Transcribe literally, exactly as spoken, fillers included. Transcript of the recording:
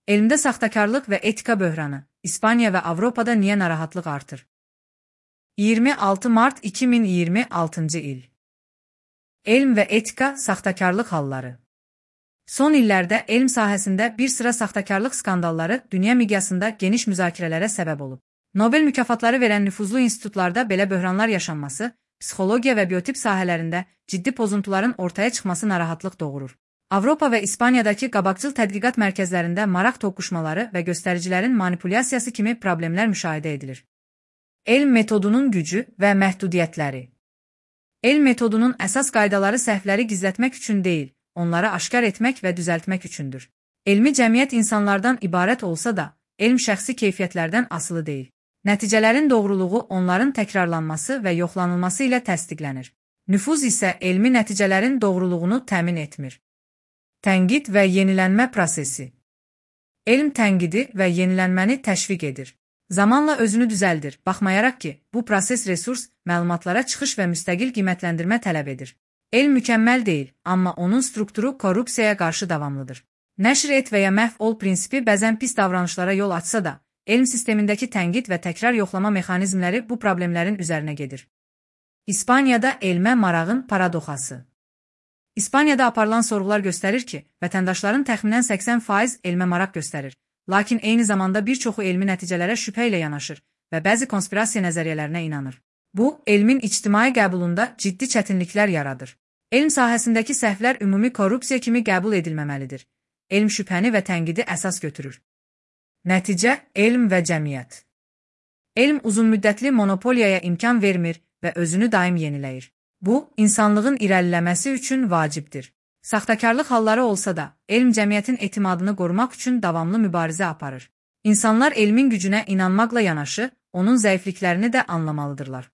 Elmdə saxtakarlıq və etika böhranı, İspaniya və Avropada niyə narahatlıq artır? iyirmi altı mart iki min iyirmi altıncı il. Elm və etika saxtakarlıq halları. Son illərdə elm sahəsində bir sıra saxtakarlıq skandalları dünya miqyasında geniş müzakirələrə səbəb olub. Nobel mükafatları verən nüfuzlu institutlarda belə böhranlar yaşanması, psixologiya və biotip sahələrində ciddi pozuntuların ortaya çıxması narahatlıq doğurur. Avropa və İspaniyadakı qabaqcıl tədqiqat mərkəzlərində maraq toqquşmaları və göstəricilərin manipulyasiyası kimi problemlər müşahidə edilir. Elm metodunun gücü və məhdudiyyətləri. Elm metodunun əsas qaydaları səhvləri gizlətmək üçün deyil, onları aşkar etmək və düzəltmək üçündür. Elmi cəmiyyət insanlardan ibarət olsa da, elm şəxsi keyfiyyətlərdən asılı deyil. Nəticələrin doğruluğu onların təkrarlanması və yoxlanılması ilə təsdiqlənir. Nüfuz isə elmi nəticələrin doğruluğunu təmin etmir. Tənqid və yenilənmə prosesi. Elm tənqidi və yenilənməni təşviq edir. Zamanla özünü düzəldir, baxmayaraq ki, bu proses resurs, məlumatlara çıxış və müstəqil qiymətləndirmə tələb edir. Elm mükəmməl deyil, amma onun strukturu korrupsiyaya qarşı davamlıdır. Nəşr et və ya məhv ol prinsipi bəzən pis davranışlara yol açsa da, elm sistemindəki tənqid və təkrar yoxlama mexanizmləri bu problemlərin üzərinə gedir. İspaniyada elmə marağın paradoxası. İspaniyada aparılan sorğular göstərir ki, vətəndaşların təxminən səksən faiz elmə maraq göstərir, lakin eyni zamanda bir çoxu elmi nəticələrə şübhə ilə yanaşır və bəzi konspirasiya nəzəriyyələrinə inanır. Bu, elmin ictimai qəbulunda ciddi çətinliklər yaradır. Elm sahəsindəki səhvlər ümumi korrupsiya kimi qəbul edilməməlidir. Elm şübhəni və tənqidi əsas götürür. Nəticə, elm və cəmiyyət. Elm uzunmüddətli monopoliyaya imkan vermir və özünü daim yeniləyir. Bu, insanlığın irəliləməsi üçün vacibdir. Saxtakarlıq halları olsa da, elm cəmiyyətin etimadını qorumaq üçün davamlı mübarizə aparır. İnsanlar elmin gücünə inanmaqla yanaşı, onun zəifliklərini də anlamalıdırlar.